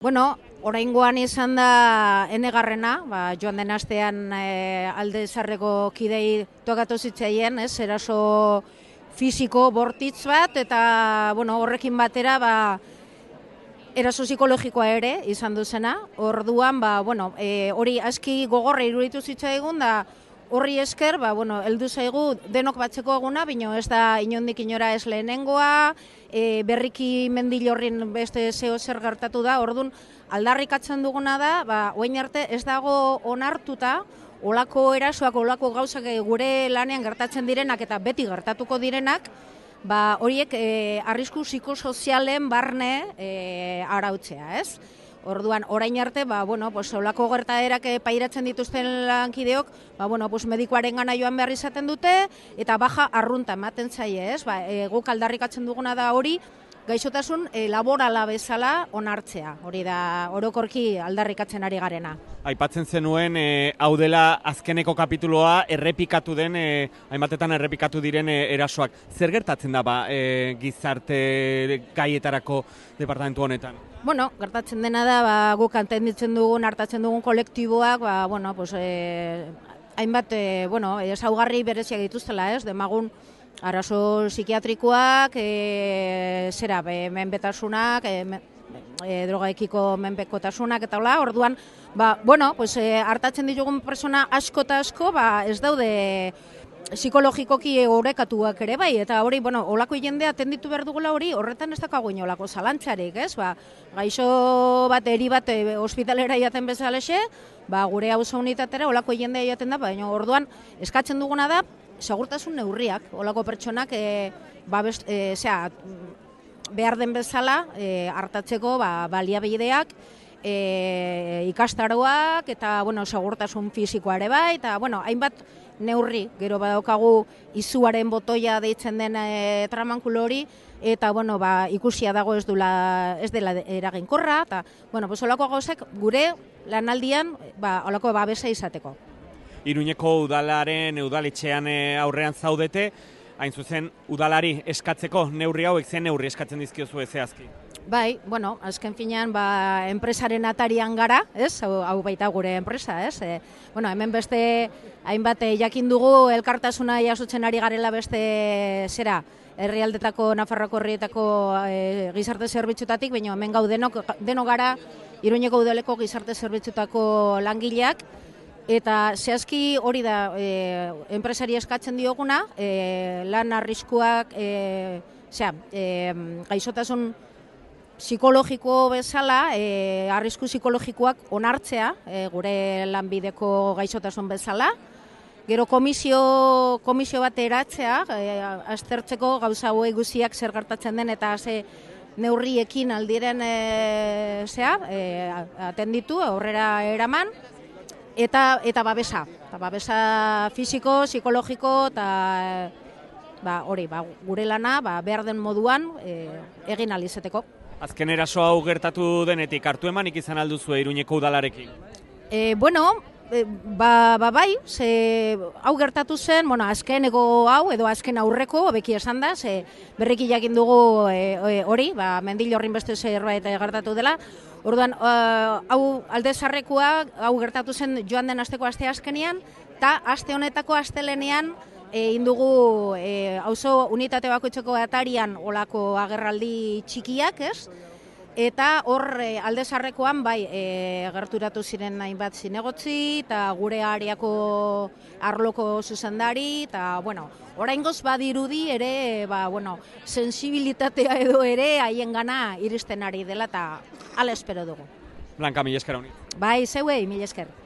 Bueno, oraingoan izan da enegarrena, joan den astean alde zarreko kidei tokatu zitzaien, eraso fisiko bortitz bat, eta horrekin batera eraso psikologikoa ere izan duzena. Orduan, hori aski gogorra iruditu zitzaigun da horri esker, heldu zaigu denok batzeko eguna, baina ez da inondik inora ez lehenengoa, berriki mendilorrin beste zeo zer gertatu da, orduan aldarrikatzen duguna da, orain arte ez dago onartuta, olako erasoak, olako gauzak gure lanean gertatzen direnak eta beti gertatuko direnak, horiek arrisku psikosozialen barne arautzea, ez? Orduan, orain arte, olako gertaerak pairatzen dituzten lankideok, medikuaren gana joan behar izaten dute, eta baja arrunta ematen zaie, ez? Guk aldarrikatzen duguna da hori, gaixotasun laborala bezala onartzea, hori da orokorki aldarrikatzen ari garena. Aipatzen zenuen, hau dela azkeneko kapituloa hainbatetan errepikatu diren erasoak. Zer gertatzen da gizarte gaietarako departamentu honetan? Gertatzen dena da, guk entenditzen dugun, hartatzen dugun kolektiboak, hainbat, ezaugarri bereziak dituztela, ez? Demagun, arazo psikiatrikoak, menpetasunak, drogaekiko menpekotasunak eta hola, orduan, hartatzen ditugun persona asko eta asko, ez daude psikologikoki orekatuak ere bai, eta hori, olako jendea atenditu behar dugula hori, horretan ez dakago inolako zalantzarik, ez? Gaixo bat, eri bat, ospitalera jaten bezalexe, gure auzo unitatera olako jendea jaten da, baina orduan eskatzen duguna da, segurtasun neurriak, olako pertsonak behar den bezala hartatzeko baliabideak, ikastaroak eta segurtasun fisikoa ere bai, eta hainbat neurri, gero badaukagu izuaren botoia deitzen den tramankulo hori, eta ikusia dago ez dela eraginkorra, eta olako gauzek gure lanaldian olako babesa izateko. Iruñeko udaletxean aurrean zaudete, hain zuzen udalari eskatzeko neurri hauek zen neurri eskatzen dizkiozu zehazki? Bai, azken finean enpresaren atarian gara, ez? Hau baita gure enpresa, ez? Hemen beste hainbat jakin dugu elkartasuna jasotzen ari garela beste herrialdetako, Nafarroako herrietako gizarte zerbitzutatik, baina hemen gau denok gara Iruñeko udaleko gizarte zerbitzutako langileak, eta zehazki hori da enpresari eskatzen dioguna, lan arriskuak, gaixotasun psikologiko bezala, arrisku psikologikoak onartzea, gure lanbideko gaixotasun bezala. Gero komisio bat eratzea, aztertzeko gauza hauek guztiak zer gertatzen den eta ze neurriekin aldiren atenditu, aurrera eraman, eta babesa fisiko, psikologiko, eta hori, gure lana behar den moduan egin alizeteko. Azken eraso hau gertatu denetik, hartu emanik izan alduzu Iruñeko udalarekin? Bai, hau gertatu zen, azkeneko hau edo azken aurreko, beki esan da, berriki jakin dugu hori, mendilorrin beste zerbait gertatu dela. Orduan, hau alde zarrekoa, hau gertatu zen joan den asteko aste azkenean, eta aste honetako astelenean indugu auzo unitate bakoitzeko atarian olako agerraldi txikiak, ez? Eta hor alde zarrekoan gerturatu ziren hainbat zinegotzi eta gure areako arloko zuzendari, eta oraingoz badirudi ere sensibilitatea edo ere haien gana iristen ari dela, eta hala espero dugu. Blanka, mila esker honi. Bai, zeuei, mila esker.